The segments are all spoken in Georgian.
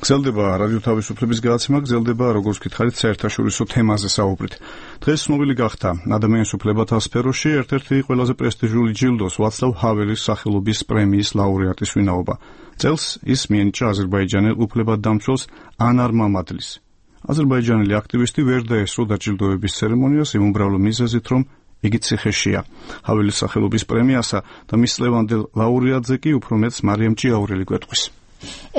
გრძელდება რადიო თავისუფლების გადაცემა, გრძელდება როგორც გითხარით საერთაშორისო თემაზე საუბრით. დღეს ცნობილი გახდა ადამიანის უფლებათა სფეროში ერთ-ერთი ყველაზე პრესტიჟული ჯილდოს ვაცლავ ჰაველის სახელობის პრემიის ლაურეატის ვინაობა. წელს ის მიენიჭა აზერბაიჯანელ უფლებადდამცველს ანარ მამადლის. აზერბაიჯანელი აქტივისტი ვერ დაესწრო დაჯილდოების ცერემონიას იმ უმრავლო მიზეზით, რომ იგი ციხეშია. ჰაველის სახელობის პრემიასა და მის ლევანდელ ლაურეატზე კი უფრო მეც მარიამ ჭიაურელი გვეტყვის.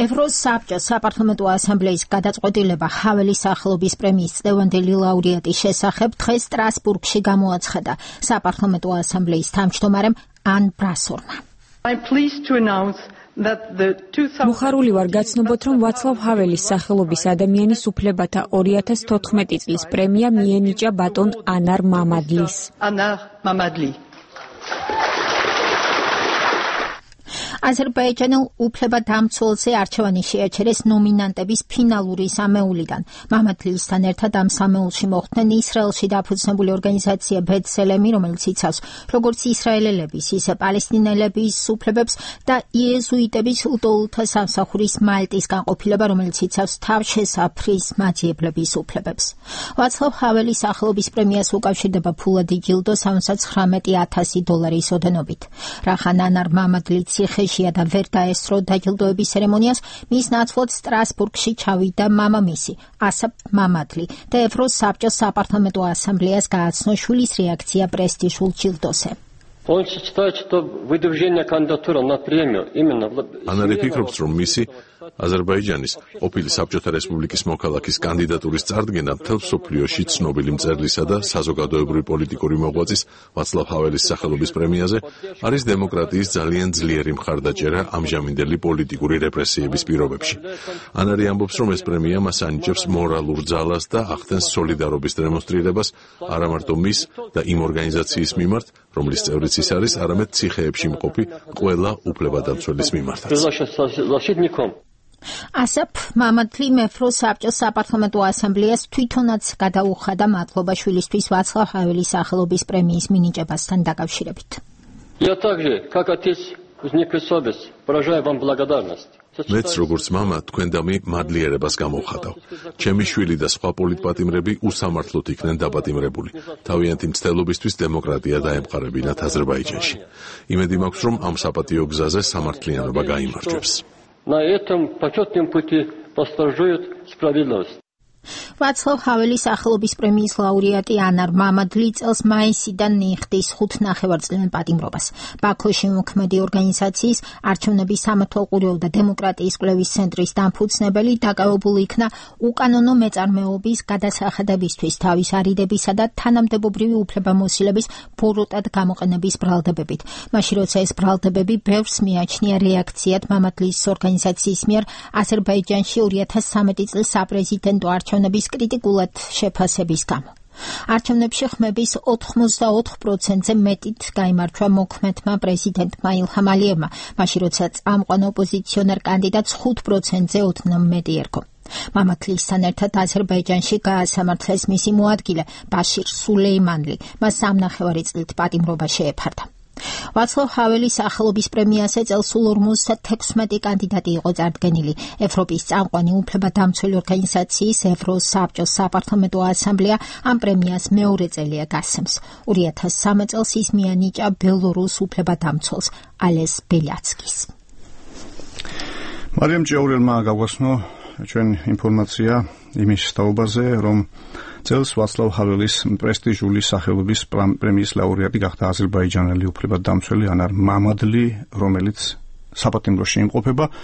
ევროსაბჭოს საპარლამენტო ასამბლეის გადაწყვეტილება ჰაველის სახელობის პრემიის ლევანდელი ლაურეატის შესახებ დღეს სტრასბურგში გამოაცხადა საპარლამენტო ასამბლეის თავმჯდომარემ ან ბრასორმა. მოხარული ვარ გაცნობოთ, რომ ვაცლავ ჰაველის სახელობის ადამიანის უფლებათა 2014 წლის პრემია მიენიჭა ბატონ ანარ მამადლის. აზერბაიჯანელ უფლებადამცველზე არჩევანი შეაჩერეს ნომინანტების ფინალური სამეულიდან. მამადლისთან ერთად ამ სამეულში მოხვდნენ ისრაელში დაფუძნებული ორგანიზაცია ბეცელემი, რომელიც იცავს როგორც ისრაელელების, ისე პალესტინელების უფლებებს და იეზუიტების უდოულთა სამსახურის მალტის განყოფილება, რომელიც იცავს თავშესაფრის მაძიებლების უფლებებს. ვაცლავ ჰაველის სახელობის პრემიას უკავშირდება ფულადი ჯილდო $79,000 ოდენობით. რახან ანარ მამადლი ციხეში და ვერ დაესწრო დაჯილდოების ცერემონიას, მის ნაცვლად სტრასბურგში ჩავიდა მამამისი ასაფ მამადლი და ევროსაბჭოს საპარლამენტო ასამბლეას გააცნო შვილის რეაქცია პრესტიჟულ ჯილდოზე. ანარი ფიქრობს, რომ მისი აზერბაიჯანის ყოფილი საბჭოთა რესპუბლიკის მოქალაქის კანდიდატურის წარდგენა მთელ მსოფლიოში ცნობილი მწერლისა და საზოგადოებრივი პოლიტიკური მოღვაწის ვაცლავ ჰაველის სახელობის პრემიაზე არის დემოკრატიის ძალიან ძლიერი მხარდაჭერა ამჟამინდელი პოლიტიკური რეპრესიების პირობებში. ანარი ამბობს, რომ ეს პრემია მას ანიჭებს მორალურ ძალას და ახდენს სოლიდარობის დემონსტრირებას არა მარტო მის და იმ ორგანიზაციის მიმართ, რომლის წევრიც ის არის, არამედ ციხეებში მყოფი ყველა უფლებადამცველის მიმართაც. ასაფ მამადლიმ ევროსაბჭოს საპარლამენტო ასამბლეას თვითონაც გადაუხადა მადლობა შვილისთვის ვაცლავ ჰაველის სახელობის პრემიის მინიჭებასთან დაკავშირებით. მეც როგორც მამა თქვენდამი მადლიერებას გამოვხატავ. ჩემი შვილი და სხვა პოლიტპატიმრები უსამართლოდ იქნენ დაპატიმრებული. თავიანთი მცდელობისთვის დემოკრატია დაემყარებინათ აზერბაიჯანში. იმედი მაქვს, რომ ამ საპატიო გზაზე სამართლიანობა გაიმარჯვებს. На этом почетном пути восторжует справедливость. ვაცლავ ჰაველის სახელობის პრემიის ლაურეატი ანარ მამადლი წელს მაისიდან ნიხდის 5 ნახევარწლიან პატიმრობას. ბაქოში მოქმედი ორგანიზაციის არჩევნების სამართალყურეო და დემოკრატიის კვლევის ცენტრის დამფუძნებელი დაკავებული იქნა უკანონო მეწარმეობის გადასახადებისთვის თავის არიდებისა და თანამდებობრივი უფლებამოსილების ბოროტად გამოყენების ბრალდებებით. მაშინ როცა ეს ბრალდებები ბევრს მიაჩნია რეაქციად მამადლის ორგანიზაციის მიერ აზერბაიჯანში 2013 წლის საპრეზიდენტო არჩევნების კრიტიკულად შეფასების გამო. არჩევნებში ხმების 84%-ზე მეტით გაიმარჯვა მოქმედმა პრეზიდენტმა ილჰამ ალიევმა, მაშინ როცა წამყვან ოპოზიციონერ კანდიდატს 5%-ზე ოდნავ მეტი ერგო. მამადლისთან ერთად აზერბაიჯანში გაასამართლეს მისი მოადგილე ბაშირ სულეიმანლი, მას 3 ნახევარი წლით პატიმრობა შეეფარდა. ვაცლავ ჰაველის სახელობის პრემიაზე წელს სულ 56 კანდიდატი იყო წარდგენილი. ევროპის წამყვანი უფლებადამცველი ორგანიზაციის ევროსაბჭოს საპარლამენტო ასამბლეა ამ პრემიას მეორე წელია გასცემს. 2013 წელს ის მიანიჭა ბელორუს უფლებადამცველს ალეს ბელიაცკის. მარიამ ჭიაურელმა გაგვასწრო ჩვენ ინფორმაცია იმის თაობაზე, რომ წელს ვაცლავ ჰაველის პრესტიჟული სახელობის პრემიის ლაურეატი გახდა აზერბაიჯანელი უფლებადამცველი ანარ მამადლი, რომელიც საპატიმროში იმყოფება.